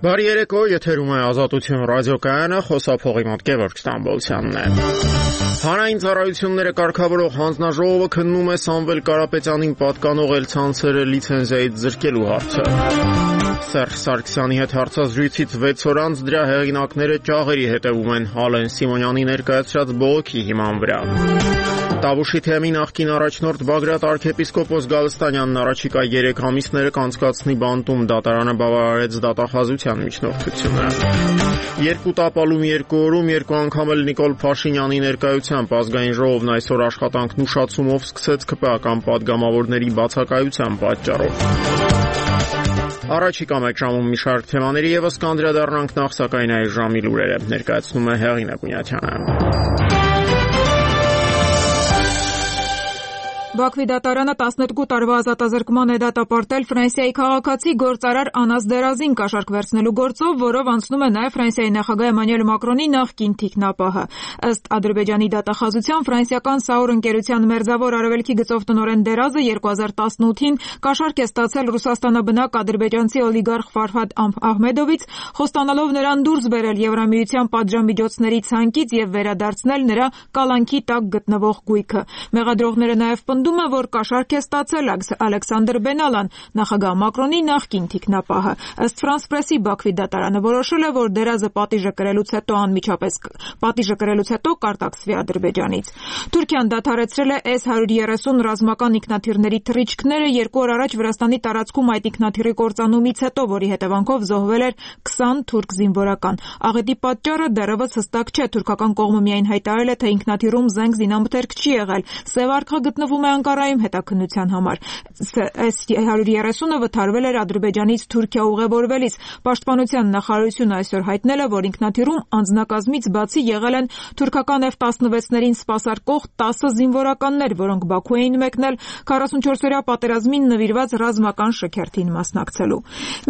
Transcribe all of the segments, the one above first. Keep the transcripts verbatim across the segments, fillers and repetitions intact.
Բարի երեկո, եթերում է Ազատություն ռադիոկայանը, խոսափողի մոտ Գևորգ Ստամբոլցյանն է։ Հանրային ծառայությունները կարգավորող հանձնաժողովը քննում է Սամվել Կարապետյանին պատկանող էլցանցերը լիցենզիայից զրկելու հարցը։ Սերժ Սարգսյանի հետ հարցազրույցից վեց օր անց դրա հեղինակները ճաղերի հետևում են Ալեն Սիմոնյանի ներկայացրած բողոքի հիման վրա։ Տավուշի թեմի նախկին առաջնորդ Բագրատ arczepiskopos Գալստանյանն առաջիկա երեք ամիսները կանցկացնի բանտում, դատարանը բավարարեց դատախազության միջնորդությունը։ Երկու տապալում երկու օրում երկու անգամ էլ Նիկոլ Փաշինյանի ներկայությամբ Ազգային ժողովն այսօր աշխատանքն ուշացումով սկսեց ՔՊԱ-կան պատգամավորների բացակայության պատճառով։ Առաջիկա մեկ ժամում մի շարք թեմաների եւս կանդրադառնանք, նախ սակայն այս ժամի լուրերը ներկայացնում է Հեղինե Գունյատյանը։ Բաքվի դատարանը տասներկու տարվա ազատազրկման է դատապարտել Ֆրանսիայի քաղաքացի գործարար Անաս Դերազին կաշառք վերցնելու գործով, որով անցնում է նաև Ֆրանսիայի նախագահ Էմանուել Մակրոնի նախկին թիկնապահը։ Ըստ Ադրբեջանի դատախազության, ֆրանսիական Սաուր ընկերության մերձավոր արևելքի գծով տնօրեն Դերազը երկու հազար տասնութին կաշառք է ստացել Ռուսաստանաբնակ ադրբեջանցի օլիգարխ Ֆարհադ Ահմեդովից, խոստանալով նրան դուրս բերել Եվրամիության պատժամիջոցների ցանկից եւ վերադարձնել նրա կալանքի տակ գտնվող գույքը։ Մեղադրողները նաև պնդում է, որ կաշառք է ստացել Ալեքսանդր Բենալան, նախագահ Մակրոնի նախկին թիկնապահը։ Ըստ Ֆրանս Պրեսի, Բաքվի դատարանը որոշել է, որ Դերազը պատիժը կրելուց հետո անմիջապես պատիժը կրելուց հետո կարտաքսվի Ադրբեջանից։ Թուրքիան դադարեցրել է էս հարյուր երեսուն ռազմական ինքնաթիռների թռիչքները երկու օր առաջ Վրաստանի տարածքում այդ ինքնաթիռի կործանումից հետո, որի հետևանքով զոհվել էր քսան թուրք զինվորական։ Աղետի պատճառը դեռևս հստակ չէ։ Թուրքական կողմը միայն հայտարարել է, թե ինքնաթիռում զենք զինամթերք չի եղել։ Սև արքա գտնվում է Անկարայում հետաքննության համար։ էս հարյուր երեսունը վթարվել էր Ադրբեջանից Թուրքիա ուղևորվելիս։ Պաշտպանության նախարարությունը այսօր հայտնել է, որ ինքնաթիռում անձնակազմից բացի եղել են թուրքական F տասնվեցներին սպասարկող տասը զինվորականներ, որոնք Բաքու էին մեկնել քառասունչորսօրյա պատերազմին նվիրված ռազմական շքերթին մասնակցելու։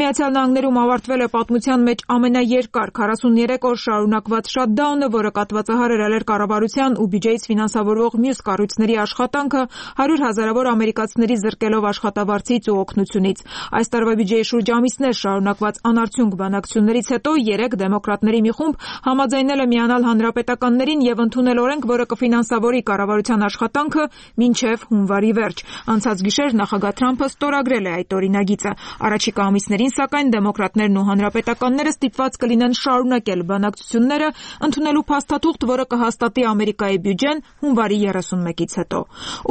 Միացյալ Նահանգներում ավարտվել է պատմության մեջ ամենաերկար քառասուներեք օր շարունակված շատդաունը, որը կատվածահար էր ալեր կառավարության ու բյուջեից ֆինանսավորվող մյուս կառույցների աշխատանքը, հարյուր հազարավոր ամերիկացիների զրկելով աշխատավարձից ու օգնությունից։ Այս տարվա բյուջեի շուրջ ամիսներ շարունակված անարդյունք բանակցություններից հետո երեք դեմոկրատների մի խումբ համաձայնել է միանալ հանրապետականներին եւ ընդունել օրենք, որը կֆինանսավորի կառավարության աշխատանքը մինչեւ հունվարի վերջ։ Անցած գիշեր նախագահ Թրամփը ստորագրել է այդ օրինագիծը։ Առաջիկա ամիսներին, սակայն, դեմոկրատներն ու հանրապետականները ստիպված կլինեն շարունակել բանակցությունները, ընդունելու փաստաթուղթ, որը կհաստատի Ամերիկայի բյուջեն հունվարի երեսունմեկից հետո։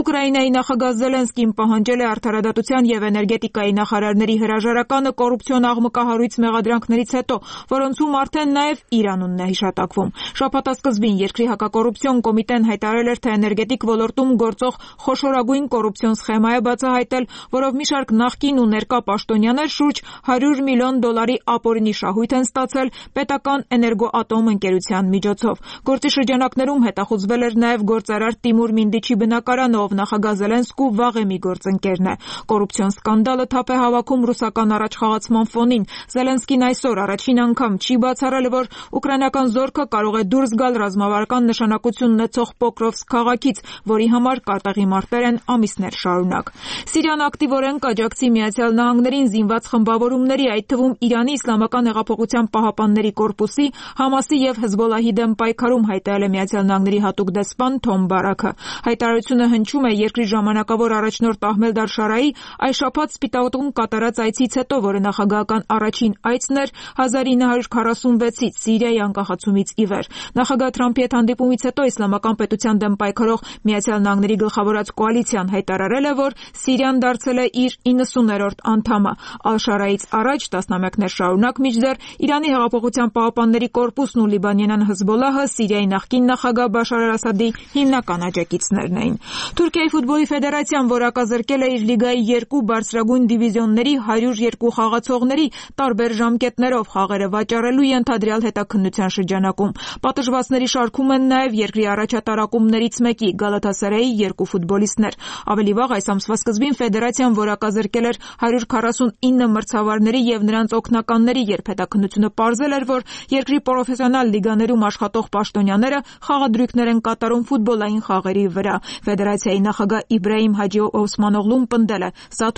Ուկրաինայի նախագահ Զելենսկին պահանջել է արդարադատության եւ էներգետիկայի նախարարների հրաժարականը կոռուպցիոն աղմկահարույց մեղադրանքներից հետո, որոնցում արդեն նաեւ Իրանունն է հիշատակվում։ Շաբաթասկզբին երկրի հակակոռուպցիոն կոմիտեն հայտարարել էր, թե էներգետիկ ոլորտում գործող խոշորագույն կոռուպցիոն սխեմա է բացահայտել, որով մի շարք նախկին ու ներկա պաշտոնյաներ շուրջ հարյուր միլիոն դոլարի ապօրինի շահույթ են ստացել պետական էներգոատոմ ընկերության միջոցով։ Գործի շրջանակներում հետախուզվել էր նաեւ գործարար Տիմուր Մինդիչի բնակարանը, ով նախագահ Զելենսկու վաղեմի գործընկերն է։ Կոռուպցիոն սկանդալը թափ է հավաքում ռուսական առաջխաղացման ֆոնին։ Զելենսկին այսօր առաջին անգամ չի բացառել, որ ուկրաինական զորքը կարող է դուրս գալ ռազմավարական նշանակություն ունեցող Պոկրովսկ քաղաքից, որի համար կատաղի մարտեր են ամիսներ շարունակ։ Սիրիան ակտիվորեն կաջակցի Միացյալ Նահանգներին զինված խմբավորումների, այդ թվում Իրանի Իսլամական հեղափոխության պահապանների կորպուսի, Համասի եւ Հեզբոլլահի դեմ պայքարում, հայտարարել է Միացյալ Նահանգների հատուկ դեսպան Թոմ Բարաքը։ Հայտարարությունը հնչում է երկրի ժամանակավոր առաջնորդ Ահմեդ Ալ-Շարայի այս շաբաթ Սպիտակում կատարած այցից հետո, որը նախագահական առաջին այցն էր հազար ինը հարյուր քառասունվեցից Սիրիայի անկախացումից ի վեր։ Նախագահ Թրամփի հետ հանդիպումից հետո Իսլամական պետության դեմ պայքարող Միացյալ Նահանգների գլխավորած կոալիցիան հայտարարել է, որ Սիրիան դարձել է իր իննսուներորդ անդամը։ Ալ-Շարայից առաջ տասնամյակներ շարունակ, մինչդեռ Իրանի հեղափոխության պահապանների կորպուսն ու լիբանանյան Հեզբոլլահը Սիրիայի նախկին նախագահ Բաշար Ասադի հիմնական աջակիցներն էին։ Թուրքիայի ֆուտբոլի ֆեդերացիան որակազրկել է իր լիգայի երկու բարձրագույն դիվիզիոնների հարյուր երկու խաղացողների տարբեր ժամկետներով խաղերը վաճառելու ենթադրյալ հետաքննության շրջանակում։ Պատժվածների շարքում են նաև երկրի առաջատարակումներից մեկի Գալաթասարայի երկու ֆուտբոլիստներ։ Ավելի վաղ այս ամսվա սկզբին ֆեդերացիան որակազրկել էր հարյուր քառասունինը մրցավարների եւ նրանց օգնականների, երբ հետաքննությունը պարզել էր, որ երկրի պրոֆեսիոնալ լիգաներում աշխատող պաշտոնյաները խաղադրույքներ են կատարում ֆուտբոլային խաղերի վրա։ Ֆեդերացիայի նախագահ Իբրահիմ Հաջի Օսմանօղլուն պնդել է. «Սա